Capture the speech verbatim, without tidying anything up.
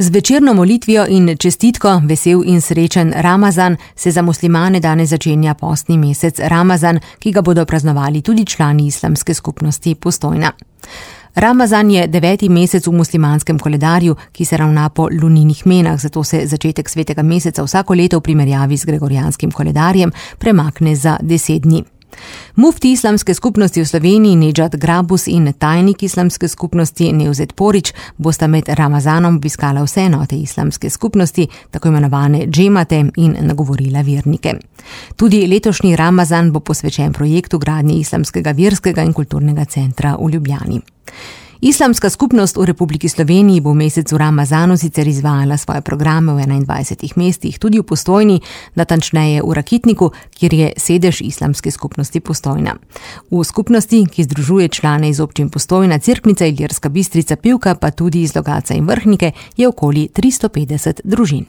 Z večerno molitvijo in čestitko vesel in srečen Ramazan se za muslimane danes začenja postni mesec Ramazan, ki ga bodo praznovali tudi člani islamske skupnosti Postojna. Ramazan je deveti mesec v muslimanskem koledarju, ki se ravna po lunijnih menah, zato se začetek svetega meseca vsako leto v primerjavi z gregorijanskim koledarjem premakne za deset dni. Mufti islamske skupnosti v Sloveniji Nedžad Grabus in tajnik islamske skupnosti Nevzet Porić bosta med Ramazanom obiskala vse enote islamske skupnosti, tako imenovane džemate, in nagovorila vernike. Tudi letošnji Ramazan bo posvečen projektu gradnje islamskega verskega in kulturnega centra v Ljubljani. Islamska skupnost v Republiki Sloveniji bo v mesecu Ramazanu sicer izvajala svoje programe v enaindvajsetih mestih, tudi v Postojni, natančneje v Rakitniku, kjer je sedež islamske skupnosti Postojna. V skupnosti, ki združuje člane iz občin Postojna, Cerknica, Ilirska Bistrica, Pivka, pa tudi iz Logatca in Vrhnike, je okoli tristo petdeset družin.